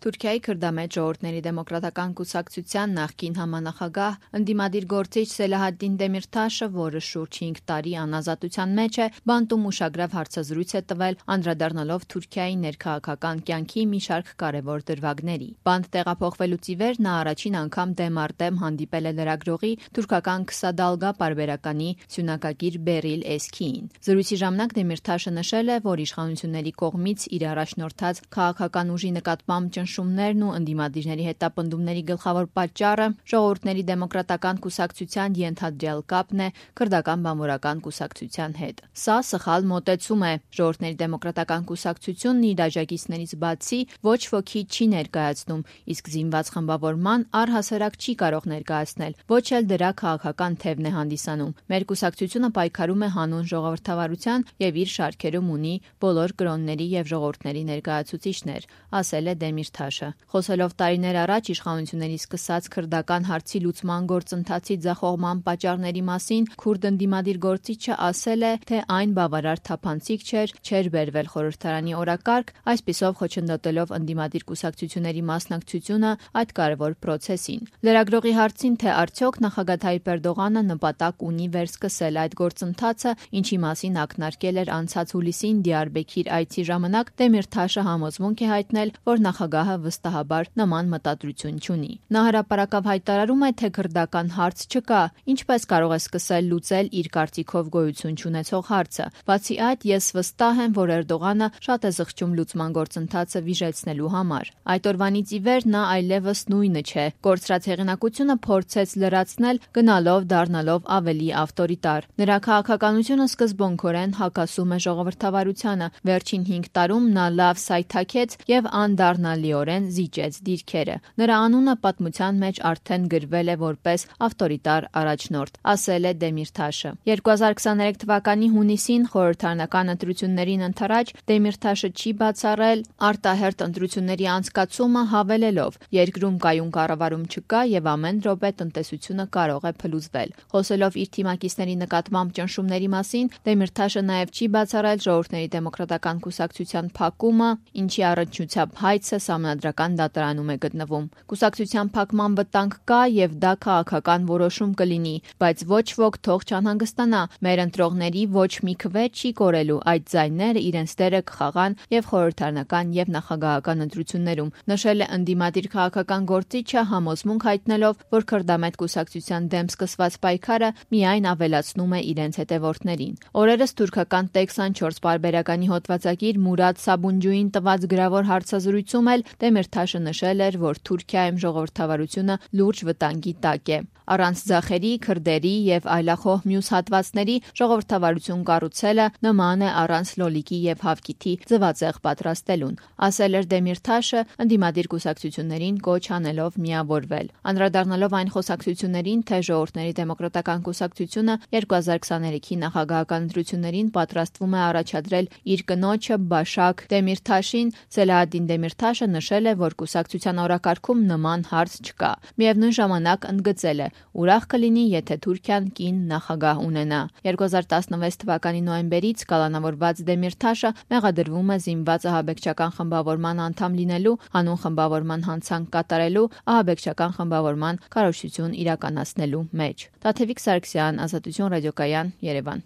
Թուրքիայի քրդամետ ժողովուրդների դեմոկրատական կուսակցության նախկին համանախագահ ընդդիմադիր գործիչ Սելահադդին Դեմիրթաշը, որը շուրջ 5 տարի անազատության մեջ է, բանտում ուշագրավ հարցազրույց է տվել, անդրադառնալով Թուրքիայի ներքաղաքական կյանքի մի շարք կարևոր դրվագների։ Բանտ տեղափոխվելուց ի վեր նա առաջին անգամ դեմ առ դեմ հանդիպել է լրագրողի թուրքական Քսադալգա պարբերականի սյունակագիր Բերիլ Էսքիին։ Զրույցի ժամանակ Դեմիրթաշը նշել է, որ իշխանությունների կողմից իր առաջնորդած քաղաքական ուժի նկատմամբ ճնշումներն ու ընդդիմադիրների հետապնդումների գլխավոր պատճառը ժողովուրդների դեմոկրատական կուսակցության ենթադրյալ կապն է քրդական բանվորական կուսակցության հետ։ Սա սխալ մոտեցում է։ Ժողովուրդների դեմոկրատական կուսակցությունն իր աջակիցներից բացի ոչ ոքի չի ներկայացնում, իսկ զինված խմբավորման առհասարակ չի կարող ներկայացնել, ոչ էլ դրա քաղաքական թևն է հանդիսանում։ Մեր կուսակցությունը պայքարում է հանուն ժողովրդավարության եւ իր շարքերում ունի բոլոր կրոնների եւ ժողովուրդների ներկայացուցիչներ, ասել է Դեմիրթաշը։ Խոսելով տարիներ առաջ իշխանությունների սկսած քրդական հարցի լուծման գործընթացի ձախողման պատճառների մասին, քուրդ ընդդիմադիր գործիչը ասել է, թե այն բավարար թափանցիկ չէր բերվել խորհրդարանի օրակարգ, այսպիսով խոչընդոտելով ընդդիմադիր կուսակցությունների մասնակցությունը այդ կարևոր պրոցեսին։ Լրագրողի հարցին, թե արդյոք նախագահ Թայիպ Էրդողանը նպատակ ունի վերսկսել այդ գործընթացը, ինչի մասին ակնարկել էր անցած հուլիսին Դիարբեքիր այցի ժամանակ, Դեմիրթաշը համոզմունք է հայտնել, որ նախագահը վստահաբար նման մտադրություն չունի։ Նա հրապարակավ հայտարարում է, թե քրդական հարց չկա, ինչպես կարող է սկսել լուծել իր կարծիքով գոյություն չունեցող հարցը։ Բացի այդ, ես վստահ եմ, որ Էրդողանը շատ է զղջում լուծման գործընթացը վիժեցնելու համար։ Այդ օրվանից ի վեր նա այլևս նույնը չէ։ Կորցրած հեղինակությունը փորձեց լրացնել, դառնալով ավելի ավտորիտար։ Նրա քաղաքականությունը սկզբունքորեն հակասում է ժողովրդավարությանը։ Վերջին 5 տարում նա լավ սայթաքեց եւ անդառնալիորեն զիջեց դիրքերը։ Նրա անունը պատմության մեջ արդեն գրվել է որպես ավտորիտար առաջնորդ, ասել է Դեմիրթաշը։ 2023 թվականի հունիսին խորհրդարանական ընտրություններին ընդառաջ Դեմիրթաշը չի բացառել արտահերթ ընտրությունների անցկացումը, հավելելով. երկրում կայուն կառավարում չկա եւ ամեն րոպե տնտեսությունը կարող է փլուզվել։ Խոսելով իր թիմակիցների նկատմամբ ճնշումների մասին, Դեմիրթաշը նաեւ չի բացառել ժողովուրդների դեմոկրատական կուսակցության փակումը, ինչի առնչությամբ հայցը սահմանադրական դատարանում է գտնվում։ Կուսակցության փակման վտանգ կա եւ դա քաղաքական որոշում կլինի, բայց ոչ ոք թող չանհանգստանա։ Մեր ընտրողների ոչ մի քվե չի կորելու, այդ ձայները իրենց դերը կխաղան եւ խորհրդարանական եւ նախագահական ընտրություններում, նշել է ընդդիմադիր քաղաքական գործիչը, համոզմունք հայտնելով, որ քրդամետ կուսակցության դեմ սկսված պայքարը միայն ավելացնում է իրենց հետևորդներին։ Օրերս թուրքական Տեք-24 պարբերականի հոդվածագիր Մուրադ Սաբունջուին տված գրավոր հարցազրույցում էլ Դեմիրթաշը նշել էր, որ Թուրքիայում ժողովրդավարությունը լուրջ վտանգի տակ է։ Առանց ձախերի, քրդերի եւ այլախոհ մյուս հատվածների ժողովրդավարություն կառուցելը նման է առանց լոլիկի եւ հավկիթի ձվածեղ պատրաստելուն, ասել էր Դեմիրթաշը, ընդդիմադիր կուսակցություններին կոչ անելով միավորվել։ Անդրադառնալով այն խոսակցություններին, թե ժողովուրդների դեմոկրատական կուսակցությունը 2023-ի նախագահական ընտրություններին պատրաստվում է առաջադրել իր կնոջը Բաշակ Դեմիրթաշին, Սելահադդին Դեմիրթաշը նշել է, որ կուսակցության օրակարգում նման հարց չկա։ Միևնույն ժամանակ ընդգծել է. ուրախ կլինի, եթե Թուրքիան կին նախագահ ունենա։ 2016 թվականի նոյեմբերից կալանավորված Դեմիրթաշը մեղադրվում է զինված ահաբեկչական խմբավորման անդամ լինելու, հանուն խմբավորման հանցանք կատարելու, ահաբեկչական խմբավորման քարոզչություն իրականացնելու մեջ։ Տաթևիկ Սարգսյան, Ազատություն ռադիոկայան, Երևան։